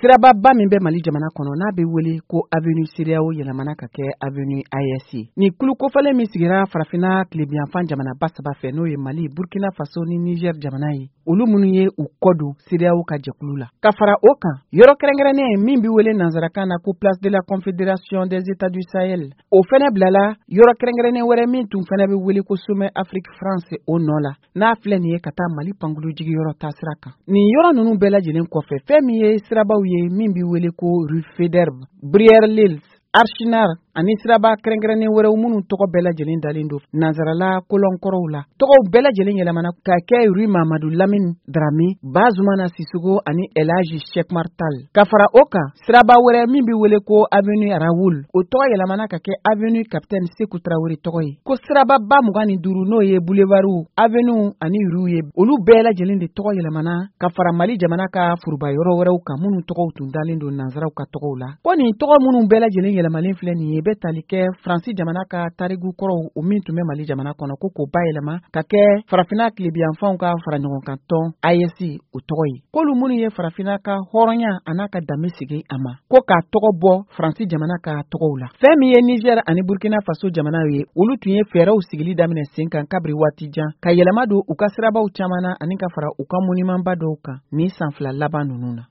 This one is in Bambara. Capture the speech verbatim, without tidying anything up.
Sirababa min bɛ Mali jamana kɔnɔ, n'a bɛ wele ko avenue CEDEAO, yɛlɛmana ka kɛ avenue A E S ye. Nin kulu kofɔlen min sigira Farafinna tilebiyanfan jamanaba saba fɛ, n'o ye Mali, Burkina Faso ni Niger jamana ye, olu minnu ye u kɔ don CEDEAO ka jɛkulu la. Ka fara o kan, yɔrɔ kɛrɛnkɛrɛnnen min bɛ wele nansarakan na ko Place de la Confédération des États du Sahel, o fɛnɛ bilala yɔrɔ kɛrɛnkɛrɛnnen wɛrɛ min tun fɛnɛ bɛ wele ko Sommet Afrique France, o nɔ la, n'a filɛ nin ye ka taa Mali pankulu jigiyɔrɔ taasira kan. Nin yɔrɔ ninnu bɛɛ lajɛlen kɔfɛ, fɛn min ye sirabaw ye min bɛ wele ko rue Faidherbe, Brière Lils, Archinard ani siraba kɛrɛnkɛrɛnnen wɛrɛw minnu tɔgɔ bɛɛ lajɛlen dalen don nansarala kɔlɔnkɔrɔw la, tɔgɔw bɛɛ lajɛlen yɛlɛmana ka kɛ rue Mamadu Lamine Darame, Bazumana Sisoko ani Elaji Cheick Oumar Tall. Ka fara o kan, siraba wɛrɛ min bɛ wele ko avenue Raoul, o tɔgɔ yɛlɛmana ka kɛ avenue Capitaine Sekou Traoré tɔgɔ ye. Ko sirababa mugan ni duuru, n'o ye boulevardw, avenue ani rue ye, olu bɛɛ lajɛlen de tɔgɔ yɛlɛmana ka fara Mali jamana ka foroba yɔrɔ wɛrɛw kan minnu tɔgɔw tun dalen don nansaraw ka tɔgɔw la. Ko nin tɔgɔ minnu bɛɛ lajɛlen yɛlɛmalen filɛ nin ye, bɛ tali kɛ Faransi jamana ka tariku kɔrɔw, o min tun bɛ Mali jamana kɔnɔ, ko k'o bayɛlɛma ka kɛ Farafinna tilebiyanfanw ka fara ɲɔgɔn kan tɔn A E S o tɔgɔ ye. K'olu minnu ye Farafinna ka hɔrɔnya a n'a ka danbe sigi a ma, ko k'a tɔgɔ bɔ Faransi jamana ka tɔgɔw la. Fɛn min ye Niger ani Burkina Faso jamanaw ye, olu tun ye fɛɛrɛw sigili daminɛ sen kan kabiri waati jan ka yɛlɛma don u ka sirabaw caman na ani ka fara u ka monumentba dɔw kan nin san fila laban ninnu na.